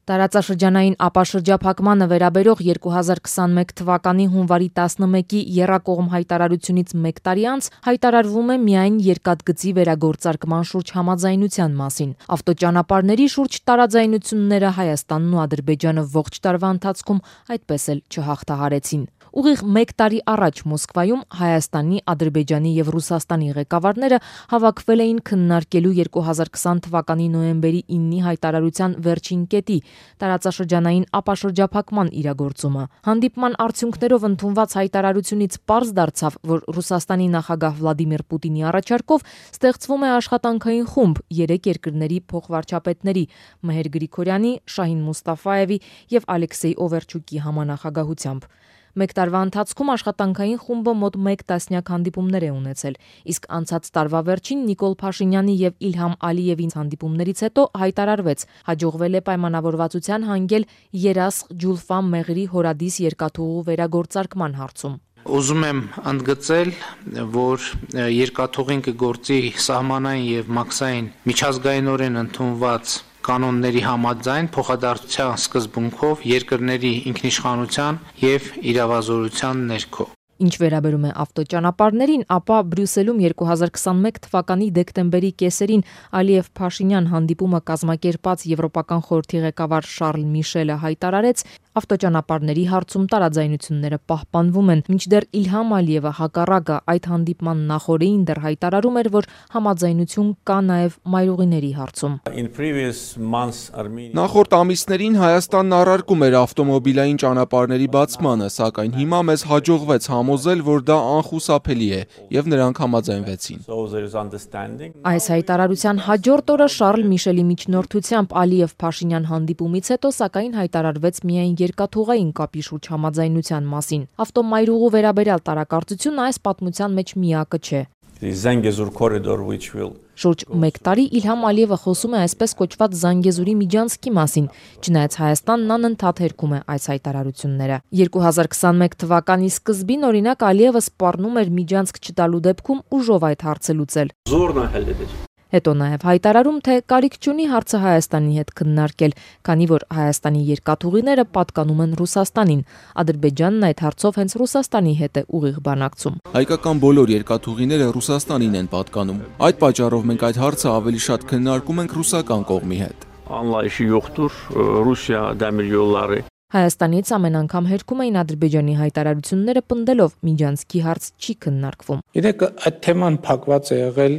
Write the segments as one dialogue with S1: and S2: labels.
S1: Տարածաշրջանային ապաշրջափակմանը վերաբերող 2021 թվականի հունվարի 11-ի եռակողմ հայտարարությունից մեկ տարի անց հայտարարվում է միայն երկաթգծի վերագործարկման շուրջ համաձայնության մասին։ Ավտոճանապարհների շուրջ տարաձայնությունները Հայաստանն ու Ադրբեջանը ողջ տարվա ընթացքում այդպես էլ չհաղթահարեցին։ Ուղիղ մեկ տարի առաջ Մոսկվայում Հայաստանի, Ադրբեջանի եւ Ռուսաստանի ղեկավարները հավաքվել էին քննարկելու 2020 թվականի նոյեմբերի 9-ի հայտարարության վերջին կետի տարածաշրջանային ապաշրջափակման իրագործումը։ Հանդիպման արդյունքներով ընդունված հայտարարությունից պարզ դարձավ, որ Ռուսաստանի նախագահ Վլադիմիր Պուտինի առաջարկով ստեղծվում է աշխատանքային խումբ 3 երկրների փոխվարչապետների՝ Մեհեր Գրիգորյանի, Շահին Մուստաֆայևի եւ Ալեքսեյ Օվերչուկի համանախագահությամբ։ Մեկ տարվա ընթացքում աշխատանքային խումբը մոտ 1 տասնյակ հանդիպումներ է ունեցել, իսկ անցած տարվա վերջին Նիկոլ Փաշինյանի եւ Իլհամ Ալիևի հանդիպումներից հետո հայտարարվեց, հաջողվել է պայմանավորվածության հանգել Երասխ Ջուլֆա Մեղրի հորադիս երկաթուղու վերագործարկման հարցում։
S2: Ուզում եմ ընդգծել, որ երկաթուղին կգործի սահմանային եւ մաքսային միջազգայինորեն ընդունված կանոնների համաձայն փոխադարձության սկզբունքով երկրների ինքնիշխանության եւ իրավազորության ներքո։
S1: Ինչ վերաբերում է ավտոճանապարհներին, ապա Բրյուսելում 2021 թվականի դեկտեմբերի կեսերին Ալիև-Փաշինյան հանդիպումը կազմակերպած Եվրոպական խորհրդի ղեկավար Շարլ Միշելը հայտարարեց, ավտոճանապարհների հարցում տարաձայնությունները պահպանվում են, մինչդեռ Իլհամ Ալիևը հակառակը այդ հանդիպման նախօրեին դեռ հայտարարում էր, որ համաձայնություն կա նաև մայրուղիների հարցում։
S3: Նախորդ ամիսներին Հայաստանն առարկում էր ավտոմոբիլային ճանապարհների բացմանը, սակայն հիմա մեզ հաջողվեց համոզել, որ դա անխուսափելի է, եւ նրանք համաձայնվեցին։
S1: Այս հայտարարության հաջորդ օրը Շարլ Միշելի միջնորդությամբ Ալիև-Փաշինյան հանդիպումից հետո սակայն հայտարարվեց միայն երկաթուղային կապի շուրջ համաձայնության մասին։ Ավտոմայրուղու վերաբերյալ տարակարծությունը այս պատմության մեջ միակը չէ։ Շուրջ մեկ տարի Իլհամ Ալիևը խոսում է այսպես կոչված Զանգեզուրի միջանցքի մասին, չնայած Հայաստանն անընդհատ հերքում է այս հայտարարությունները։ 2021 թվականի սկզբին օրինակ Ալիևը սպառնում էր միջանցք չտալու դեպքում ուժով այդ հարցը լուծել։ Հետո նաև հայտարարում, թե կարիք չունի հարցը Հայաստանի հետ քննարկել, քանի որ Հայաստանի երկաթուղիները պատկանում են Ռուսաստանին։ Ադրբեջանն այդ հարցով հենց Ռուսաստանի հետ է ուղիղ բանակցում։
S3: Հայկական բոլոր երկաթուղիները Ռուսաստանին են պատկանում։ Այդ պատճառով մենք այդ հարցը ավելի շատ քննարկում ենք ռուսական կողմի հետ։
S1: Հայաստանից ամեն անգամ հերքում էին Ադրբեջանի հայտարարությունները պնդելով միջանցքի հարց չի քննարկվում։
S4: Գիտեք, այդ թեման փակված է եղել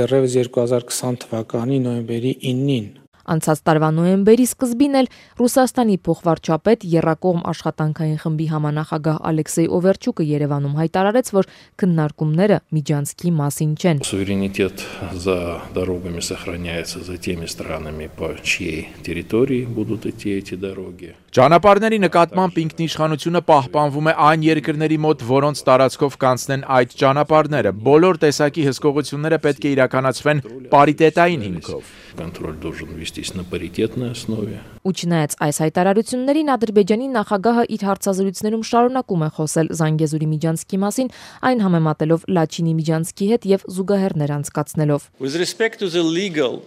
S4: դեռևս 2020 թվականի նոյեմբերի 9-ին։
S1: Անցած տարվա նոյեմբերի սկզբին էլ Ռուսաստանի փոխվարչապետ Եռակողմ աշխատանքային խմբի համանախագահ Ալեքսեյ Օվերչուկը Երևանում հայտարարեց, որ քննարկումները միջանցքի մասին չեն։
S5: Суверенитет за дорогами сохраняется за теми странами, по чьей территории будут идти эти дороги.
S6: Ճանապարհների նկատմամբ ինքնիշխանությունը պահպանվում է այն երկրների մոտ, որոնց տարածքով կանցնեն այդ ճանապարհները։ Բոլոր տեսակի հսկողությունները պետք է իրականացվեն պարիտետային հիմքով։
S5: Контроль должен вестись на паритетной основе.
S1: Ու չնայած այս հայտարարություններին Ադրբեջանի նախագահը իր հարցազրույցներում շարունակում է խոսել Զանգեզուրի միջանցքի մասին, այն համեմատելով Լաչինի միջանցքի հետ եւ զուգահեռներ անցկացնելով։
S7: With respect to the legal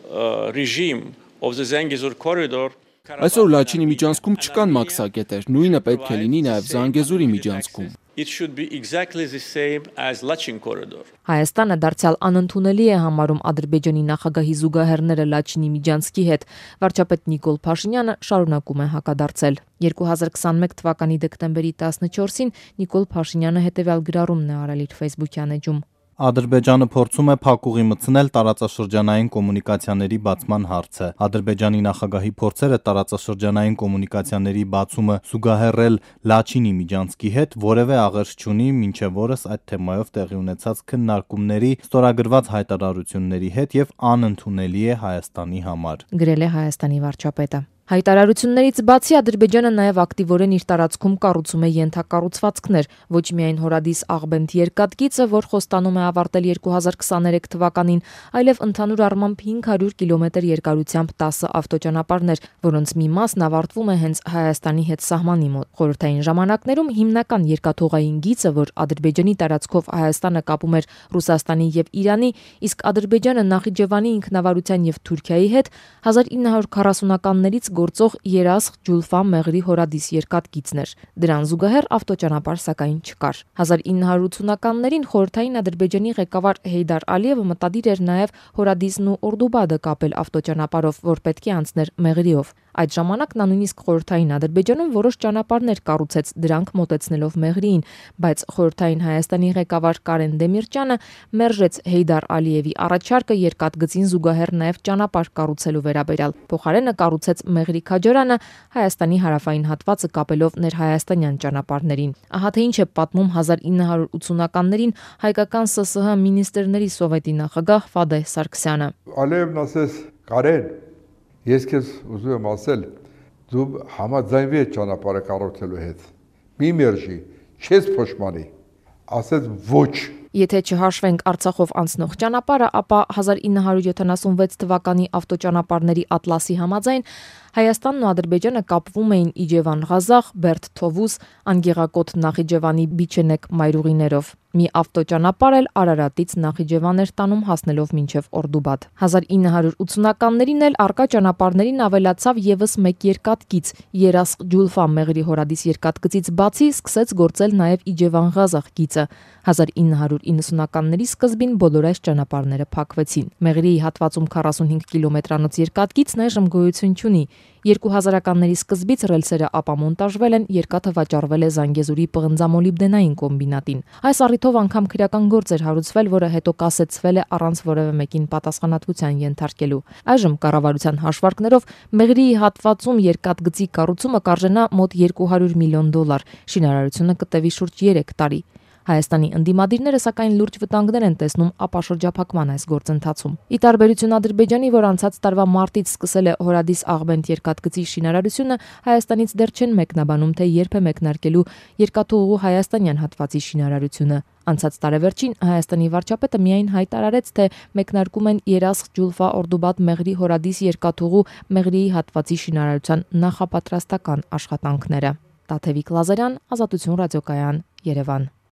S7: regime of the Zangezur corridor,
S3: Այսօր Լաչինի միջանցքում չկան մաքսակետեր, նույնը պետք է լինի նաև Զանգեզուրի միջանցքում։
S7: it should be exactly the same as Lachin corridor.
S1: Հայաստանը դարձյալ անընդունելի է համարում Ադրբեջանի նախագահի զուգահեռները Լաչինի միջանցքի հետ։ Վարչապետ Նիկոլ Փաշինյանը շարունակում է հակադարձել։ 2021 թվականի դեկտեմբերի 14-ին Նիկոլ Փաշինյանը հետևյալ գրառումն է արել իր Facebook-յան էջում։
S8: Ադրբեջանը փորձում է փակուղի մտցնել տարածաշրջանային կոմունիկացիաների բացման հարցը։ Ադրբեջանի նախագահի փորձերը տարածաշրջանային կոմունիկացիաների բացումը զուգահեռել Լաչինի միջանցքի հետ որևէ աղերս չունի մինչև օրս այդ թեմայով տեղի ունեցած քննարկումների, ստորագրված հայտարարությունների հետ եւ անընդունելի է Հայաստանի համար։
S1: Գրել է Հայաստանի վարչապետը։ Հայտարարություններից բացի Ադրբեջանը նաև ակտիվորեն իր տարածքում կառուցում է ենթակառուցվածքներ, ոչ միայն հորադիս Աղբենդ երկաթգիծը, որ խոստանում է ավարտել 2023 թվականին, այլև ընդհանուր առմամբ 500 կիլոմետր երկարությամբ 10 ավտոճանապարհներ, որոնց մի մասն ավարտվում է հենց Հայաստանի հետ սահմանի մոտ։ Խորհրդային ժամանակներում հիմնական երկաթուղային գիծը, որ Ադրբեջանի տարածքով Հայաստանը կապում էր Ռուսաստանի եւ Իրանի, իսկ Ադրբեջանը Նախիջևանի ինքնավարության եւ Թուրքիայի հետ 1940-ականներից գործող Երասխ Ջուլֆա Մեղրի հորադիս երկաթգիծն էր։ Դրան զուգահեռ ավտոճանապարհ սակայն չկար։ 1980-ականներին խորհրդային Ադրբեջանի ղեկավար Հեյդար Ալիևը մտադիր էր նաև հորադիսն ու Օրդուբադը կապել ավտոճանապարհով, որ պետք է անցներ Մեղրիով։ Այդ ժամանակ նա նույնիսկ խորհրդային Ադրբեջանում որոշ ճանապարհներ կառուցեց, դրանք մոտեցնելով Մեղրիին, բայց խորհրդային Հայաստանի ղեկավար Կարեն Դեմիրճյանը մերժեց Հեյդար Ալիևի առաջարկը երկաթգծին զուգահեռ նաև ճանապարհ կառուցելու վերաբերյալ։ Փոխարենը կառուցեց Մեղրի Քաջարանը Հայաստանի հարավային հատվածը կապելով ներհայաստանյան ճանապարհներին։ Ահա թե ինչ է պատմում 1980-ականներին հայկական ՍՍՀ մինիստրների սովետի նախագահ Ֆադեհ Սարգսյանը։
S9: Ալիևն ասեց. «Կարեն, ես քեզ ուզում եմ ասել, դու համաձայնվի այդ ճանապարհը կառուցելու հետ։ Մի մերժի, չես փոշմանի»։ Ասեց ոչ։
S1: Եթե չհաշվենք Արցախով անցնող ճանապարհը, ապա 1976 թվականի ավտոճանապարհների ատլասի համաձայն Հայաստանն ու Ադրբեջանը կապվում էին Իջևան-Ղազախ, Բերդ-Թովուզ, Անգեղակոտ Նախիջևանի Բիչենեկ մայրուղիներով։ Մի ավտոճանապարհ էլ Արարատից Նախիջևան էր տանում հասնելով մինչև Օրդուբադ։ 1980-ականներին էլ առկա ճանապարհներին ավելացավ եւս մեկ երկաթգիծ՝ Երասխ Ջուլֆա Մեղրի հորադիս երկաթգծից բացի սկսեց գործել նաև Իջևան-Ղազախ գիծը։ 1990-ականների սկզբին բոլոր այս ճանապարհները փակվեցին։ Մեղրիի հատվածում 45 կիլոմետրանոց երկաթգիծն այժմ գոյություն չունի։ 2000-ականների սկզբից ռելսերը ապամոնտաժվել են, երկաթը վաճառվել է Զանգեզուրի պղնձամոլիբդենային կոմբինատին։ Այս առիթով անգամ քրեական գործ էր հարուցվել, որը հետո կասեցվել է առանց որևէ մեկին պատասխանատվության ենթարկելու։ Այժմ կառավարության հաշվարկներով Մեղրիի հատվածում երկաթգծի կառուցումը կարժենա մոտ $200 միլիոն։ Շինարարությունը կտևի շուրջ 3 տարի։ Հայաստանի ընդդիմադիրները սակայն լուրջ վտանգներ են տեսնում ապաշրջափակման այս գործընթացում։ Ի տարբերություն Ադրբեջանի, որ անցած տարվա մարտից սկսել է հորադիս Աղբենդ երկաթգծի շինարարությունը, Հայաստանից դեռ չեն մեկնաբանում, թե երբ է մեկնարկելու երկաթուղու հայաստանյան հատվածի շինարարությունը։ Անցած տարեվերջին Հայաստանի վարչապետը միայն հայտարարեց, թե մեկնարկում են Երասխ Ջուլֆա Օրդուբադ Մեղրի հորադիս երկաթուղու Մեղրիի հատվածի շինարարության նախապատրաստական աշխատանքները։ Տաթևիկ Լազարյան, Ազատություն ռադիոկայան, Երևան։